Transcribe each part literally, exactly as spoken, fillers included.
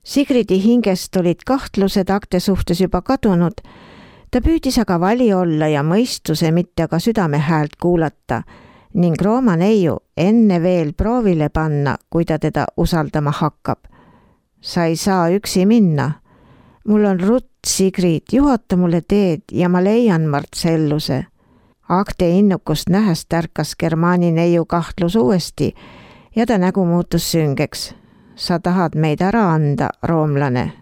Sigridi hingest olid kahtlused Agte suhtes juba kadunud. Ta püüdis aga vali olla ja mõistuse, mitte aga südame häält kuulata ning Rooma neiu enne veel proovile panna, kui ta teda usaldama hakkab. Sa ei saa üksi minna. Mul on rutt, Sigrid, juhata mulle teed ja ma leian Marcelluse. Agte innukust nähes tärkas Germani neiu kahtlus uuesti ja ta nägu muutus süngeks. Sa tahad meid ära anda, roomlane.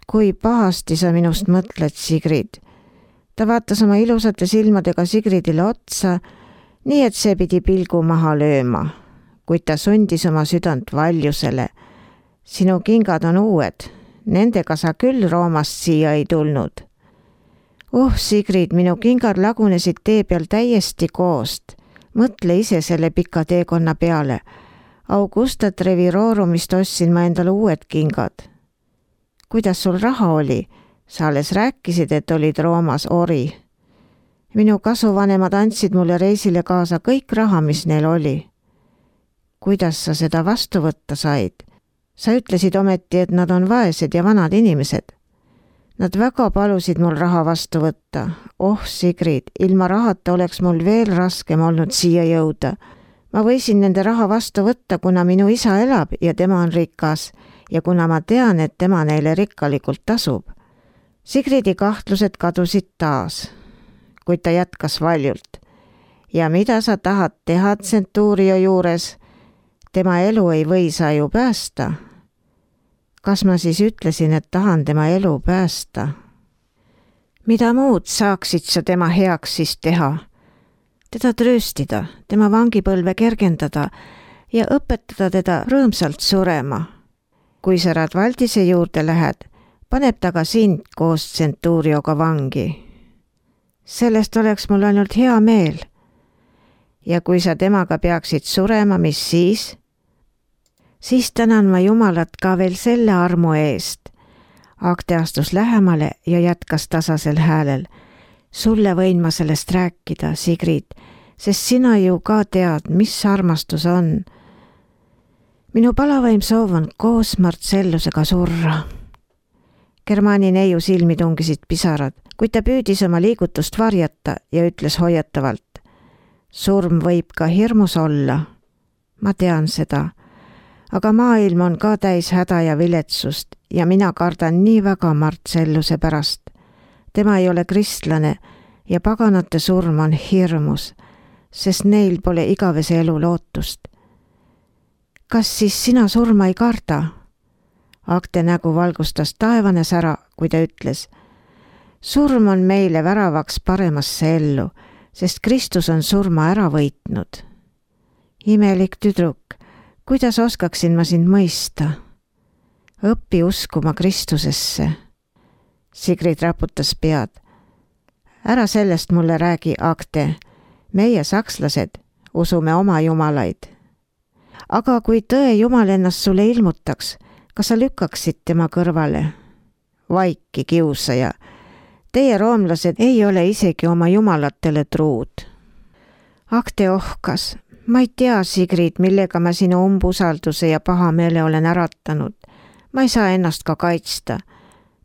Kui pahasti sa minust mõtled, Sigrid. Ta vaatas oma ilusate silmadega Sigridile otsa, nii et see pidi pilgu maha lööma, kuid ta sundis oma südant valjusele. Sinu kingad on uued, nendega sa küll Roomast siia ei tulnud. Oh, Sigrid, minu kingad lagunesid tee peal täiesti koost. Mõtle ise selle pika teekonna peale. Augusta Trevirorumist ostsin ma endale uued kingad. Kuidas sul raha oli? Sa alles rääkisid, et olid Roomas ori. Minu kasuvanemad andsid mulle reisile kaasa kõik raha, mis neil oli. Kuidas sa seda vastu võtta said? Sa ütlesid ometi, et nad on vaesed ja vanad inimesed. Nad väga palusid mul raha vastu võtta. Oh, Sigrid, ilma rahata oleks mul veel raskem olnud siia jõuda. Ma võisin nende raha vastu võtta, kuna minu isa elab ja tema on rikas ja kuna ma tean, et tema neile rikkalikult tasub. Sigridi kahtlused kadusid taas, kuid ta jätkas valjult. Ja mida sa tahad teha Centurio juures? Tema elu ei või sa ju päästa. Kas ma siis ütlesin, et tahan tema elu päästa? Mida muud saaksid sa tema heaks siis teha? Teda trööstida, tema vangipõlve kergendada ja õpetada teda rõõmsalt surema. Kui sa Radvaldise juurde lähed, paneb ta ka sind koos Centurioga vangi. Sellest oleks mul ainult hea meel. Ja kui sa temaga peaksid surema, mis siis? Siis tänan ma Jumalat ka veel selle armu eest. Agte astus lähemale ja jätkas tasasel häälel. Sulle võin ma sellest rääkida, Sigrid, sest sina ju ka tead, mis armastus on. Minu palavaim soov on koos Marcellusega surra. Germani neiu silmi tungisid pisarad, kuid ta püüdis oma liigutust varjata ja ütles hoiatavalt. Surm võib ka hirmus olla. Ma tean seda, aga maailm on ka täis häda ja viletsust ja mina kardan nii väga Marcelluse pärast. Tema ei ole kristlane ja paganate surm on hirmus, sest neil pole igavese elu lootust. Kas siis sina surma ei karda? Agte nägu valgustas taevane sära, kui ta ütles. Surm on meile väravaks paremasse ellu, sest Kristus on surma ära võitnud. Imelik tüdruk, kuidas oskaksin ma sind mõista? Õppi uskuma Kristusesse. Sigrid raputas pead. Ära sellest mulle räägi, Agte. Meie sakslased usume oma jumalaid. Aga kui tõe Jumal ennast sulle ilmutaks, kas sa lükkaksid tema kõrvale? Vaiki, kiusaja. Teie roomlased ei ole isegi oma jumalatele truud. Agte ohkas. Ma ei tea, Sigrid, millega ma sinu umbusalduse ja pahameele olen äratanud. Ma ei saa ennast ka kaitsta.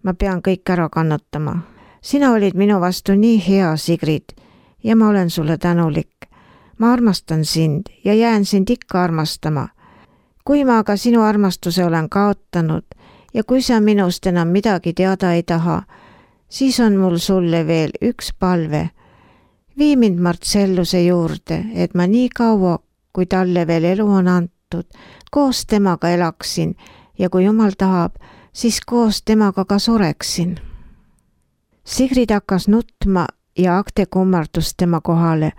Ma pean kõik ära kannatama. Sina olid minu vastu nii hea, Sigrid, ja ma olen sulle tänulik. Ma armastan sind ja jään sind ikka armastama. Kui ma aga sinu armastuse olen kaotanud ja kui sa minust enam midagi teada ei taha, siis on mul sulle veel üks palve. Vii mind Marcelluse juurde, et ma nii kaua, kui talle veel elu on antud, koos temaga elaksin ja kui Jumal tahab, siis koos temaga ka sureksin. Sigrid hakkas nutma ja Agte kummardus tema kohale.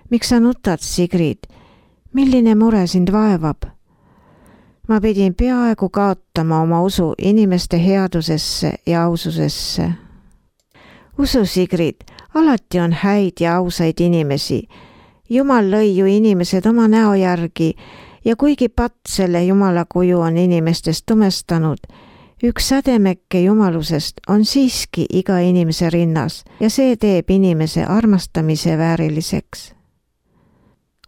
Miks sa nutad, Sigrid? Milline mure sind vaevab? Ma pidin peaaegu kaotama oma usu inimeste headusesse ja aususesse. Usu, Sigrid, alati on häid ja ausaid inimesi. Jumal lõi ju inimesed oma näo järgi ja kuigi patt selle Jumala kuju on inimestest tumestanud, üks sädemekke jumalusest on siiski iga inimese rinnas ja see teeb inimese armastamise vääriliseks.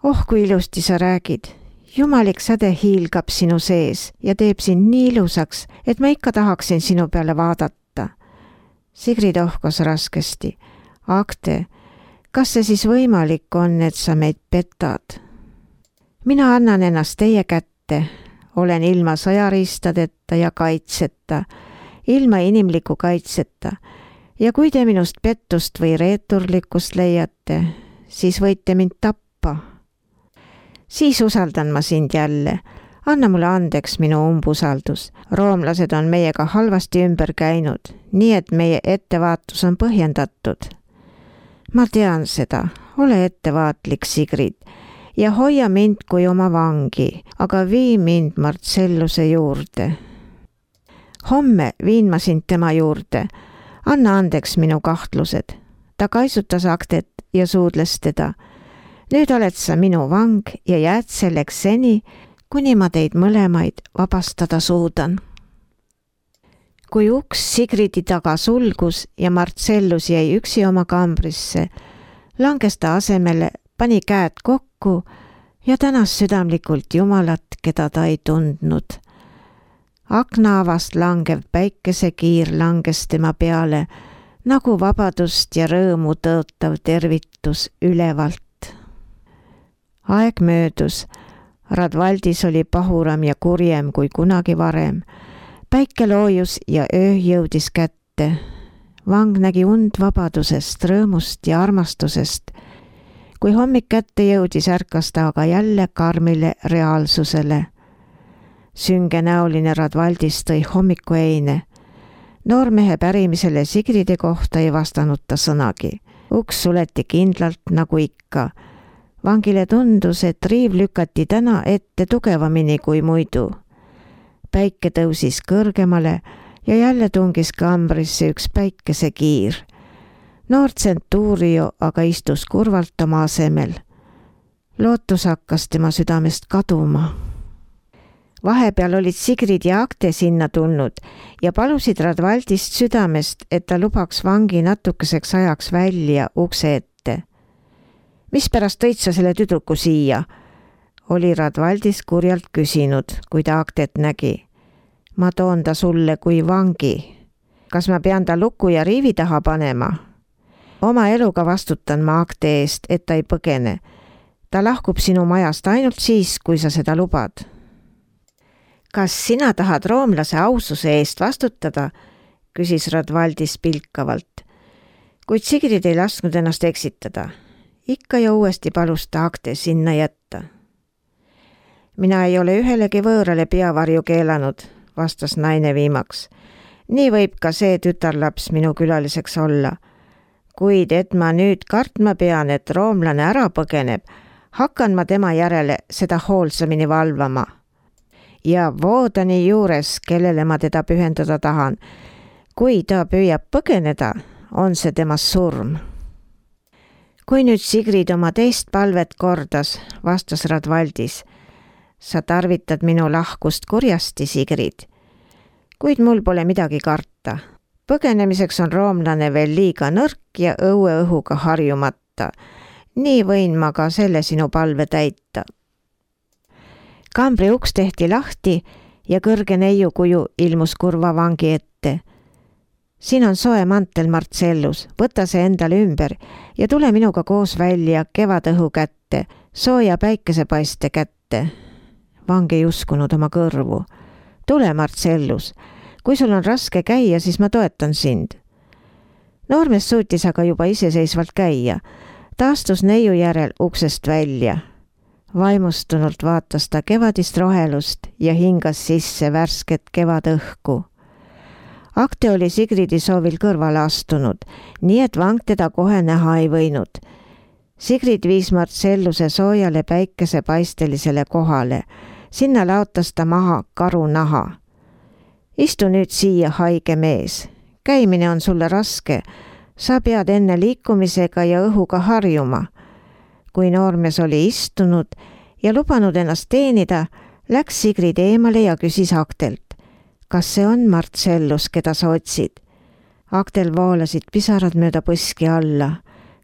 Oh, kui ilusti sa räägid. Jumalik säde hiilgab sinu sees ja teeb sind nii ilusaks, et ma ikka tahaksin sinu peale vaadata. Sigrid ohkos raskesti. Agte, kas see siis võimalik on, et sa meid petad? Mina annan ennast teie kätte. Olen ilma sõjariistadeta ja kaitseta, ilma inimliku kaitseta. Ja kui te minust pettust või reeturlikkust leiate, siis võite mind tappa. Siis usaldan ma sind jälle. Anna mulle andeks minu umbusaldus. Roomlased on meiega halvasti ümber käinud, nii et meie ettevaatus on põhjendatud. Ma tean seda. Ole ettevaatlik, Sigrid, ja hoia mind kui oma vangi, aga vii mind Marcelluse juurde. Homme viin ma sind tema juurde. Anna andeks minu kahtlused. Ta kaisutas Agtet ja suudles teda. Nüüd oled sa minu vang ja jääd selleks seni, kuni ma teid mõlemaid vabastada suudan. Kui uks Sigridi taga sulgus ja Marcellus jäi üksi oma kambrisse, langes ta asemele, pani käed kokku ja tänas südamlikult Jumalat, keda ta ei tundnud. Aknaavast langev päikesekiir langes tema peale, nagu vabadust ja rõõmu tõotav tervitus ülevalt. Aeg möödus. Radvaldis oli pahuram ja kurjem kui kunagi varem. Päike loojus ja öö jõudis kätte. Vang nägi und vabadusest, rõõmust ja armastusest. Kui hommik kätte jõudis, ärkas ta aga jälle karmile reaalsusele. Süngenäoline Radvaldis tõi hommikueine. Noormehe pärimisele Sigride kohta ei vastanud ta sõnagi. Uks suleti kindlalt nagu ikka. Vangile tundus, et riiv lükati täna ette tugevamini kui muidu. Päike tõusis kõrgemale ja jälle tungis kambrisse üks päikesekiir. Noor Centurio aga istus kurvalt oma asemel. Lootus hakkas tema südamest kaduma. Vahepeal olid Sigrid ja Agte sinna tulnud ja palusid Radvaldist südamest, et ta lubaks vangi natukeseks ajaks välja ukse ette. Mispärast tõid sa selle tüdruku siia? Oli Radvaldis kurjalt küsinud, kui ta Agtet nägi. Ma toon ta sulle kui vangi. Kas ma pean ta luku ja riivi taha panema? Oma eluga vastutan ma Agte eest, et ta ei põgene. Ta lahkub sinu majast ainult siis, kui sa seda lubad. Kas sina tahad roomlase aususe eest vastutada? Küsis Radvaldis pilkavalt. Kuid Sigrid ei lasknud ennast eksitada. Ikka ja uuesti palus ta Agte sinna jätta. Mina ei ole ühelegi võõrale peavarju keelanud, vastas naine viimaks. Nii võib ka see tütarlaps minu külaliseks olla. Kuid et ma nüüd kartma pean, et roomlane ära põgeneb, hakkan ma tema järele seda hoolsamini valvama. Ja Voodani juures, kellele ma teda pühendada tahan, kui ta püüab põgeneda, on see tema surm. Kui nüüd Sigrid oma teist palvet kordas, vastas Radvaldis. Sa tarvitad minu lahkust kurjasti, Sigrid. Kuid mul pole midagi karta. Põgenemiseks on roomlane veel liiga nõrk ja õue õhuga harjumata. Nii võin ma ka selle sinu palve täita. Kambri uks tehti lahti ja kõrge neiukuju ilmus kurva vangi ette. Siin on soe mantel, Marcellus, võta see endale ümber ja tule minuga koos välja kevadõhu kätte, sooja päikesepaiste kätte. Vang ei uskunud oma kõrvu. Tule, Marcellus, kui sul on raske käia, siis ma toetan sind. Noormees suutis aga juba iseseisvalt käia. Ta astus neiu järel uksest välja. Vaimustunult vaatas ta kevadist rohelust ja hingas sisse värsket kevadõhku. Agte oli Sigridi soovil kõrvale astunud, nii et vang teda kohe näha ei võinud. Sigrid viis Marcelluse soojale päikesepaistelisele kohale. Sinna laotas ta maha karunaha. Istu nüüd siia, haige mees. Käimine on sulle raske. Sa pead enne liikumisega ja õhuga harjuma. Kui noormees oli istunud ja lubanud ennast teenida, läks Sigrid eemale ja küsis Agtelt. Kas see on Marcellus, keda sa otsid? Agtel voolasid pisarad mööda põski alla.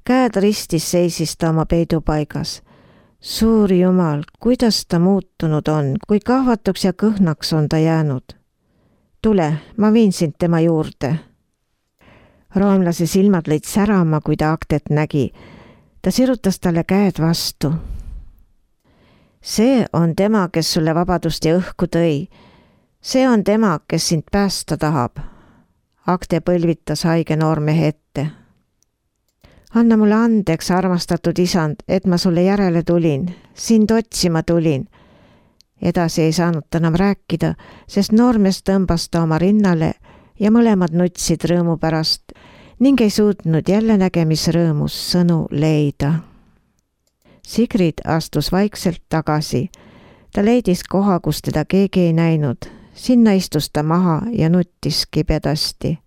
Käed ristis seisis ta oma peidupaigas. Suur Jumal, kuidas ta muutunud on, kui kahvatuks ja kõhnaks on ta jäänud. Tule, ma viin sind tema juurde. Roomlase silmad lõid särama, kui ta Aktet nägi. Ta sirutas talle käed vastu. See on tema, kes sulle vabadust ja õhku tõi. See on tema, kes sind päästa tahab. Akte põlvitas haige noormehe ette. Anna mulle andeks, armastatud isand, et ma sulle järele tulin. Sind otsima tulin. Edasi ei saanud ta enam rääkida, sest noormees tõmbas ta oma rinnale ja mõlemad nutsid rõõmu pärast ning ei suutnud jälle nägemisrõõmus sõnu leida. Sigrid astus vaikselt tagasi. Ta leidis koha, kus teda keegi ei näinud. Sinna istus ta maha ja nuttis kibedasti.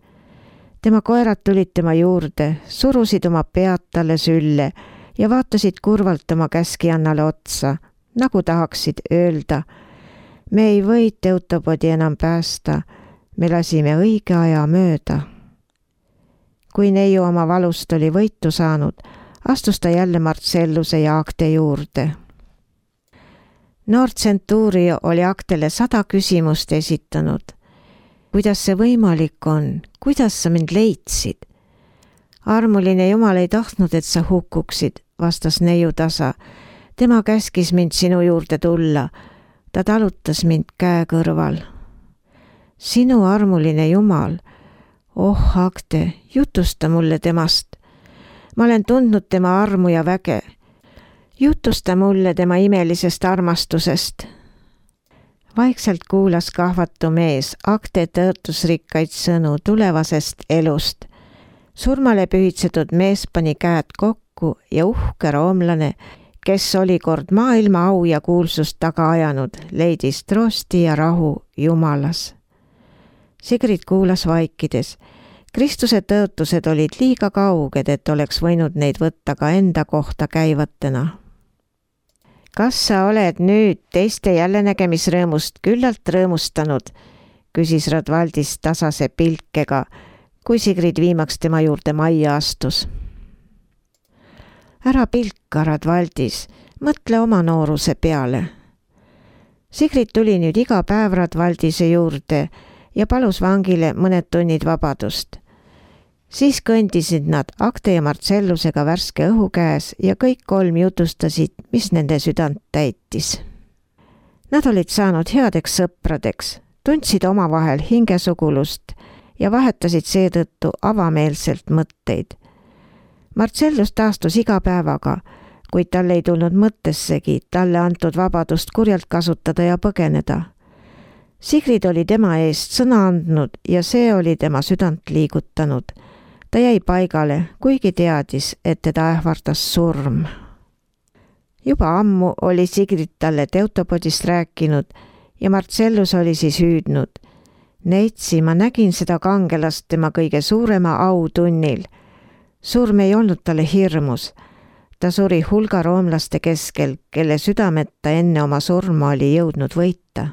Tema koerad tulid tema juurde, surusid oma pead talle sülle ja vaatasid kurvalt oma käskijannale otsa, nagu tahaksid öelda: me ei või Teutobodi enam päästa, me lasime õige aja mööda. Kui neiu oma valust oli võitu saanud, astus ta jälle Marcelluse ja Akte juurde. Noor tsentuurio oli Aktele sada küsimust esitanud. Kuidas see võimalik on? Kuidas sa mind leidsid? Armuline Jumal ei tahtnud, et sa hukkuksid, vastas neiu tasa. Tema käskis mind sinu juurde tulla. Ta talutas mind käe kõrval. Sinu armuline Jumal. Oh, Akte, jutusta mulle temast. Ma olen tundnud tema armu ja väge. Jutusta mulle tema imelisest armastusest. Vaikselt kuulas kahvatu mees Akte tõotusrikkaid sõnu tulevasest elust. Surmale pühitsetud mees pani käed kokku ja uhke roomlane, kes oli kord maailma au ja kuulsust taga ajanud, leidis troosti ja rahu Jumalas. Sigrid kuulas vaikides. Kristuse tõotused olid liiga kauged, et oleks võinud neid võtta ka enda kohta käivatena. Kas sa oled nüüd teiste jällenägemisrõõmust küllalt rõõmustanud, küsis Radvaldis tasase pilkega, kui Sigrid viimaks tema juurde majja astus. Ära pilka, Radvaldis, mõtle oma nooruse peale. Sigrid tuli nüüd iga päev Radvaldise juurde ja palus vangile mõned tunnid vabadust. Siis kõndisid nad Akte ja Marcellusega värske õhu käes ja kõik kolm jutustasid, mis nende südant täitis. Nad olid saanud headeks sõpradeks, tundsid omavahel hingesugulust ja vahetasid seetõttu avameelselt mõtteid. Marcellus taastus iga päevaga, kuid tal ei tulnud mõttessegi talle antud vabadust kurjalt kasutada ja põgeneda. Sigrid oli tema eest sõna andnud ja see oli tema südant liigutanud. Ta jäi paigale, kuigi teadis, et teda ähvardas surm. Juba ammu oli Sigrid talle Teutobodist rääkinud ja Marcellus oli siis hüüdnud. Neitsi, ma nägin seda kangelast tema kõige suurema autunnil. Surm ei olnud talle hirmus. Ta suri hulga roomlaste keskel, kelle südameta enne oma surma oli jõudnud võita.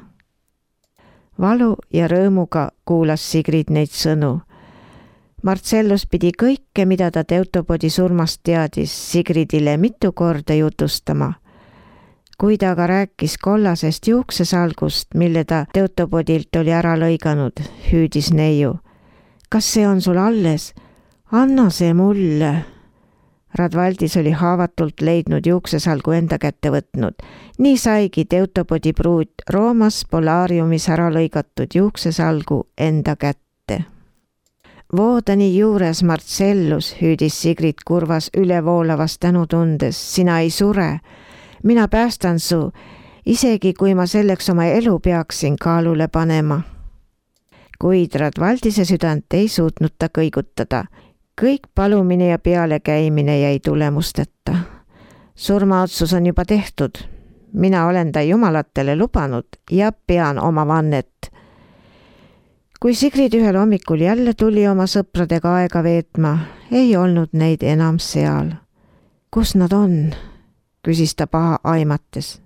Valu ja rõõmuga kuulas Sigrid neid sõnu. Marcellus pidi kõike, mida ta Teutobodi surmast teadis, Sigridile mitu korda jutustama. Kui ta aga rääkis kollasest juuksesalgust, mille ta Teutobodilt oli ära lõiganud, hüüdis neiu. Kas see on sul alles? Anna see mulle. Radvaldis oli haavatult leidnud juuksesalgu enda kätte võtnud. Nii saigi Teutobodi pruut Roomas Polariumis ära lõigatud juuksesalgu enda kätte. Voodani juures Marcellus, hüüdis Sigrid kurvas ülevoolavas tänutundes, sina ei sure. Mina päästan su, isegi kui ma selleks oma elu peaksin kaalule panema. Kuid Radvaldise südant ei suutnud ta kõigutada. Kõik palumine ja pealekäimine jäi tulemusteta. Surmaotsus on juba tehtud. Mina olen ta jumalatele lubanud ja pean oma vannet. Kui Sigrid ühel hommikul jälle tuli oma sõpradega aega veetma, ei olnud neid enam seal. Kus nad on? Küsis ta paha aimates.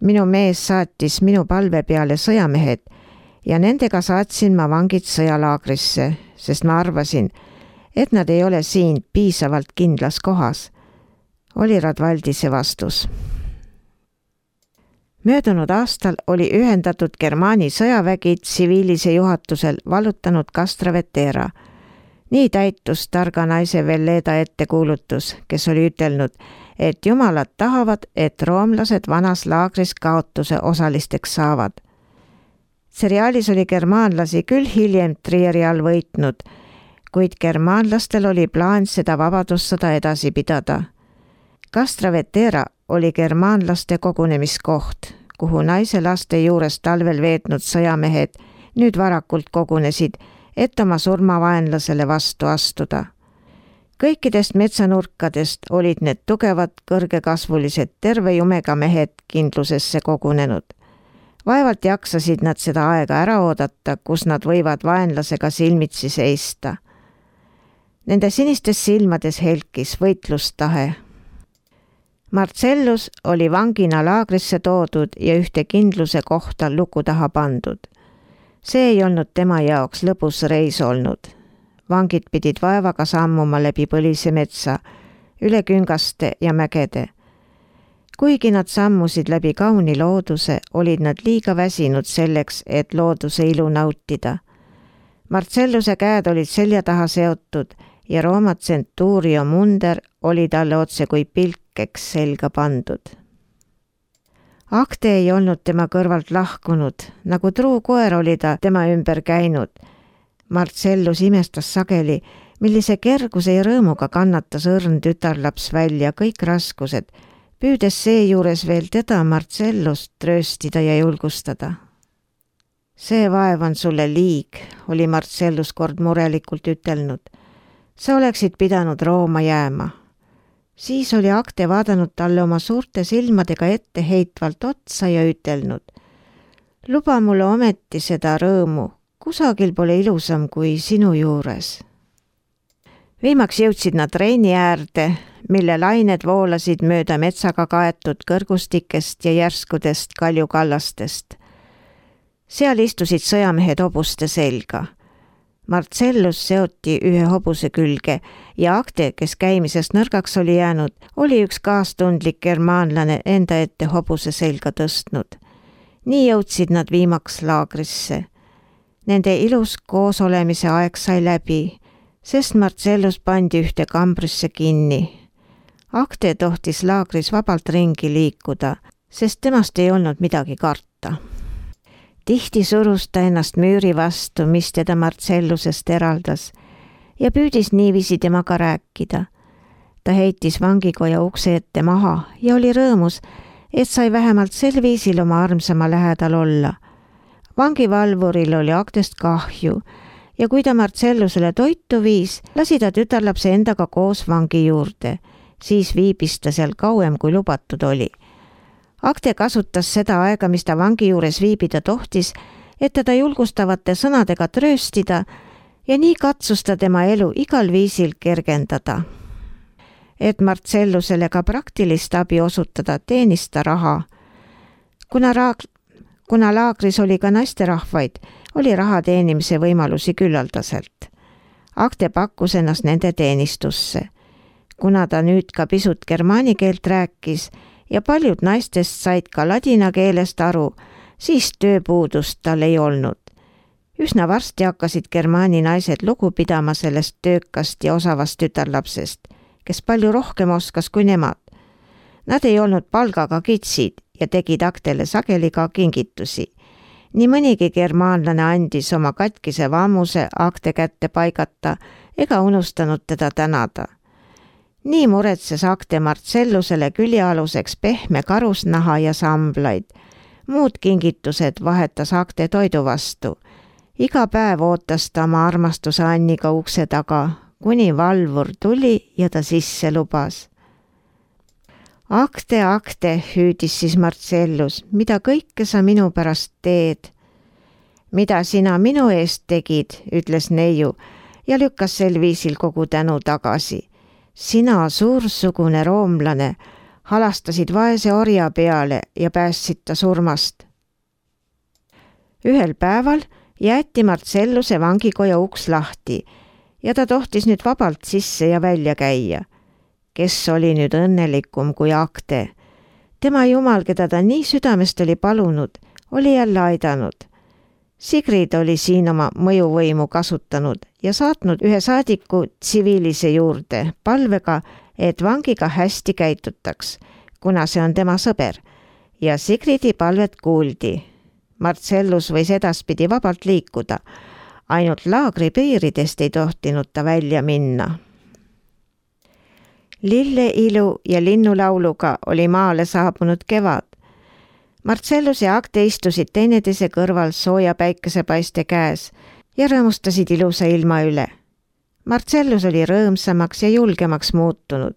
Minu mees saatis minu palve peale sõjamehed ja nendega saatsin ma vangid sõjalaagrisse, sest ma arvasin, et nad ei ole siin piisavalt kindlas kohas. oli Radvaldise vastus. Möödunud aastal oli ühendatud Germaani sõjavägi tsiviilise juhatusel vallutanud Castra Vetera. Nii täitus targa naise Velleda ettekuulutus, kes oli ütelnud, et jumalad tahavad, et roomlased vanas laagris kaotuse osalisteks saavad. Seriaalis oli germaanlasi küll hiljem Trieri all võitnud, kuid germaanlastel oli plaan seda vabadussõda edasi pidada. Castra Vetera oli germaanlaste kogunemiskoht, kuhu naise laste juures talvel veetnud sõjamehed nüüd varakult kogunesid, et oma surmavaenlasele vastu astuda. Kõikidest metsanurkadest olid need tugevad, kõrgekasvulised, terve jumega mehed kindlusesse kogunenud. Vaevalt jaksasid nad seda aega ära oodata, kus nad võivad vaenlasega silmitsi seista. Nende sinistes silmades helkis võitlustahe. Marcellus oli vangina laagrisse toodud ja ühte kindluse kohta luku taha pandud. See ei olnud tema jaoks lõbus reis olnud. Vangid pidid vaevaga sammuma läbi põlise metsa, üle küngaste ja mägede. Kuigi nad sammusid läbi kauni looduse, olid nad liiga väsinud selleks, et looduse ilu nautida. Marcelluse käed olid selja taha seotud ja Rooma Centurio munder oli talle otse kui pilkeks selga pandud. Acte ei olnud tema kõrvalt lahkunud, nagu truu koer oli ta tema ümber käinud. Marcellus imestas sageli, millise kerguse ja rõõmuga kannatas õrn tütarlaps välja kõik raskused, püüdes seejuures veel teda Marcellust trööstida ja julgustada. See vaev on sulle liig, oli Marcellus kord murelikult ütelnud. Sa oleksid pidanud Rooma jääma. Siis oli Acte vaadanud talle oma suurte silmadega ette heitvalt otsa ja ütelnud. Luba mulle ometi seda rõõmu, kusagil pole ilusam kui sinu juures. Viimaks jõudsid nad Reini äärde, mille lained voolasid mööda metsaga kaetud kõrgustikest ja järskudest kaljukallastest. Seal istusid sõjamehed hobuste selga. Marcellus seoti ühe hobuse külge ja Acte, kes käimisest nõrgaks oli jäänud, oli üks kaastundlik germaanlane enda ette hobuse selga tõstnud. Nii jõudsid nad viimaks laagrisse. Nende ilus koosolemise aeg sai läbi, sest Marcellus pandi ühte kambrisse kinni. Acte tohtis laagris vabalt ringi liikuda, sest temast ei olnud midagi karta. Tihti surus ta ennast müüri vastu, mis teda Marcellusest eraldas, ja püüdis niiviisi temaga rääkida. Ta heitis vangikoja ukse ette maha ja oli rõõmus, et sai vähemalt sel viisil oma armsama lähedal olla. Vangivalvuril oli Actest kahju ja kui ta Marcellusele toitu viis, lasi ta tütarlapse endaga koos vangi juurde. Siis viibis ta seal kauem, kui lubatud oli. Acte kasutas seda aega, mis ta vangi juures viibida tohtis, et teda julgustavate sõnadega trööstida ja nii katsus ta tema elu igal viisil kergendada. Et Marcellusele ka praktilist abi osutada, teenis ta raha. Kuna, raag... Kuna laagris oli ka naisterahvaid, oli raha teenimise võimalusi küllaldaselt. Acte pakkus ennast nende teenistusse. Kuna ta nüüd ka pisut germaani keelt rääkis, ja paljud naistest said ka ladina keelest aru, siis tööpuudust tal ei olnud. Üsna varsti hakkasid germaani naised lugu pidama sellest töökast ja osavast tütarlapsest, kes palju rohkem oskas kui nemad. Nad ei olnud palgaga kitsid ja tegid Actele sageli ka kingitusi. Nii mõnigi germaanlane andis oma katkise vammuse Acte kätte paigata ega unustanud teda tänada. Nii muretses Acte Marcellusele küljealuseks pehme karusnaha ja samblaid. Muud kingitused vahetas Acte toidu vastu. Iga päev ootas ta oma armastuse Anniga ukse taga, kuni valvur tuli ja ta sisse lubas. Acte, Acte, hüüdis siis Marcellus, mida kõike sa minu pärast teed? Mida sina minu eest tegid, ütles neiu ja lükkas sel viisil kogu tänu tagasi. Sina, suursugune roomlane, halastasid vaese orja peale ja päästsid ta surmast. Ühel päeval jäeti Marcelluse vangikoja uks lahti ja ta tohtis nüüd vabalt sisse ja välja käia. kes oli nüüd õnnelikum kui Acte. Tema jumal, keda ta nii südamest oli palunud, oli jälle aidanud. Sigrid oli siin oma mõjuvõimu kasutanud ja saatnud ühe saadiku tsiviilise juurde palvega, et vangiga hästi käitutaks, kuna see on tema sõber, ja Sigridi palvet kuuldi. Marcellus võis edaspidi vabalt liikuda, ainult laagri piiridest ei tohtinud ta välja minna. Lilleilu ja linnulauluga oli maale saabunud kevad. Marcellus ja Acte istusid teineteise kõrval sooja päikesepaiste käes ja rõõmustasid ilusa ilma üle. Marcellus oli rõõmsamaks ja julgemaks muutunud.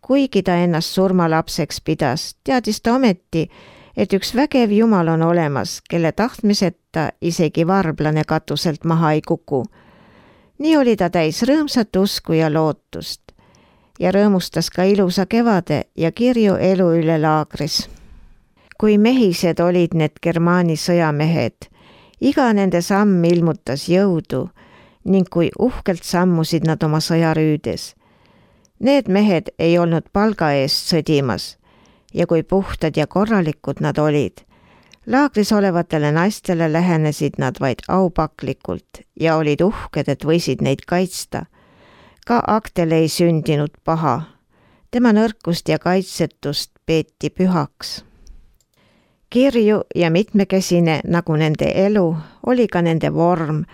Kuigi ta ennast surmalapseks pidas, teadis ta ometi, et üks vägev jumal on olemas, kelle tahtmiseta isegi varblane katuselt maha ei kuku. Nii oli ta täis rõõmsat usku ja lootust ja rõõmustas ka ilusa kevade ja kirju elu üle laagris. Kui mehised olid need Germaani sõjamehed, iga nende samm ilmutas jõudu ning kui uhkelt sammusid nad oma sõjarüüdes. Need mehed ei olnud palga eest sõdimas ja kui puhtad ja korralikud nad olid. Laagris olevatele naistele lähenesid nad vaid aupaklikult ja olid uhked, et võisid neid kaitsta. Ka Actele ei sündinud paha. Tema nõrkust ja kaitsetust peeti pühaks. Kirju ja mitmekesine nagu nende elu oli ka nende vorm.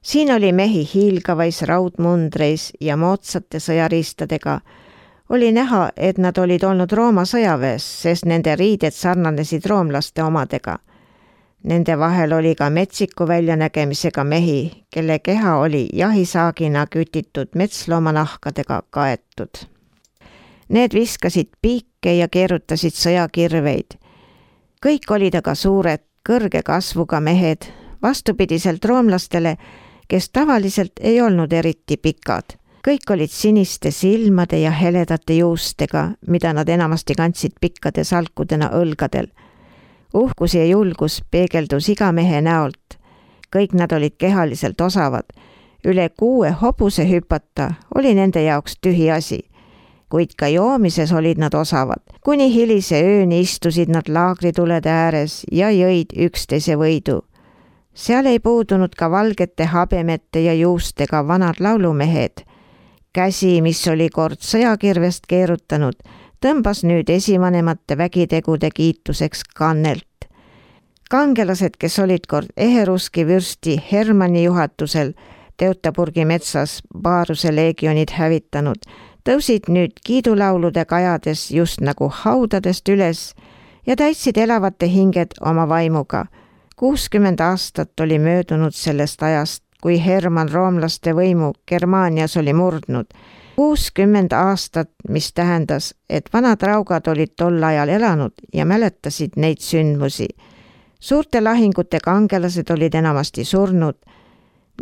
Siin oli mehi hiilgavais raudmundreis ja moodsate sõjariistadega. Oli näha, et nad olid olnud Rooma sõjaväes, sest nende riided sarnanesid roomlaste omadega. Nende vahel oli ka metsiku väljanägemisega mehi, kelle keha oli jahisaagina kütitud metsloomanahkadega kaetud. Need viskasid piike ja keerutasid sõjakirveid. Kõik olid aga suured, kõrge kasvuga mehed, vastupidiselt roomlastele, kes tavaliselt ei olnud eriti pikad. Kõik olid siniste silmade ja heledate juustega, mida nad enamasti kandsid pikkade salkudena õlgadel. Uhkus ja julgus peegeldus iga mehe näolt. Kõik nad olid kehaliselt osavad. Üle kuue hobuse hüpata oli nende jaoks tühi asi. Kuid ka joomises olid nad osavad. Kuni hilise ööni istusid nad laagritulede ääres ja jõid üksteise võidu. Seal ei puudunud ka valgete habemete ja juustega vanad laulumehed. Käsi, mis oli kord sõjakirvest keerutanud, tõmbas nüüd esivanemate vägitegude kiituseks kannelt. Kangelased, kes olid kord Eheruski vürsti Hermanni juhatusel Teutoburgi metsas Baaruse leegionid hävitanud, tõusid nüüd kiidulaulude kajades just nagu haudadest üles ja täitsid elavate hinged oma vaimuga. kuuskümmend aastat oli möödunud sellest ajast, kui Hermann roomlaste võimu Germaanias oli murdnud. kuuskümmend aastat, mis tähendas, et vanad raugad olid tol ajal elanud ja mäletasid neid sündmusi. Suurte lahingute kangelased olid enamasti surnud.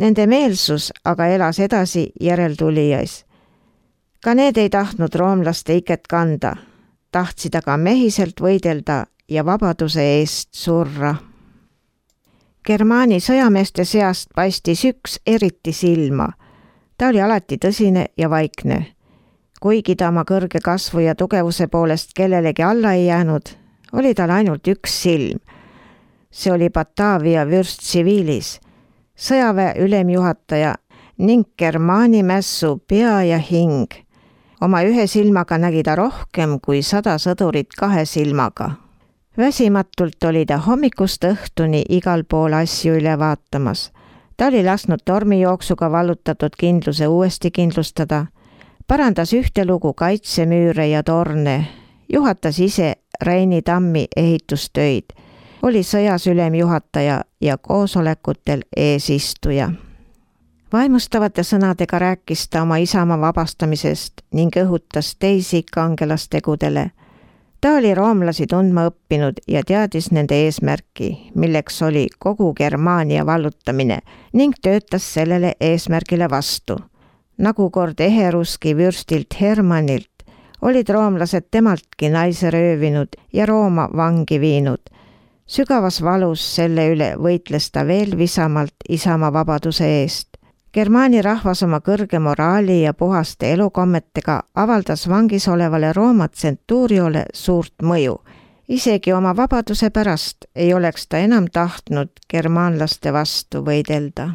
Nende meelsus aga elas edasi järeltulijais. Ka need ei tahtnud roomlaste iket kanda, tahtsid aga mehiselt võidelda ja vabaduse eest surra. Germaani sõjameeste seast paistis üks eriti silma. Ta oli alati tõsine ja vaikne. Kuigi ta oma kõrge kasvu ja tugevuse poolest kellelegi alla ei jäänud, oli tal ainult üks silm. See oli Batavia vürst tsiviilis, sõjaväe ülemjuhataja ning Germaani mässu pea ja hing. Oma ühe silmaga nägi ta rohkem kui sada sõdurit kahe silmaga. Väsimatult oli ta hommikust õhtuni igal pool asju üle vaatamas. Ta oli lasknud tormijooksuga vallutatud kindluse uuesti kindlustada, parandas ühtelugu kaitsemüüre ja torne, juhatas ise Reini tammi ehitustöid, oli sõjas ülemjuhataja ja koosolekutel eesistuja. Vaimustavate sõnadega rääkis ta oma isamaa vabastamisest ning õhutas teisi kangelastegudele. Ta oli roomlasi tundma õppinud ja teadis nende eesmärki, milleks oli kogu Germaania vallutamine ning töötas sellele eesmärgile vastu. Nagu kord Eheruski vürstilt Hermannilt olid roomlased temaltki naise röövinud ja Rooma vangi viinud. Sügavas valus selle üle võitles ta veel visamalt isamaa vabaduse eest. Germaani rahvas oma kõrge moraali ja puhaste elukommetega avaldas vangis olevale Rooma tsentuuriole suurt mõju. Isegi oma vabaduse pärast ei oleks ta enam tahtnud germaanlaste vastu võidelda.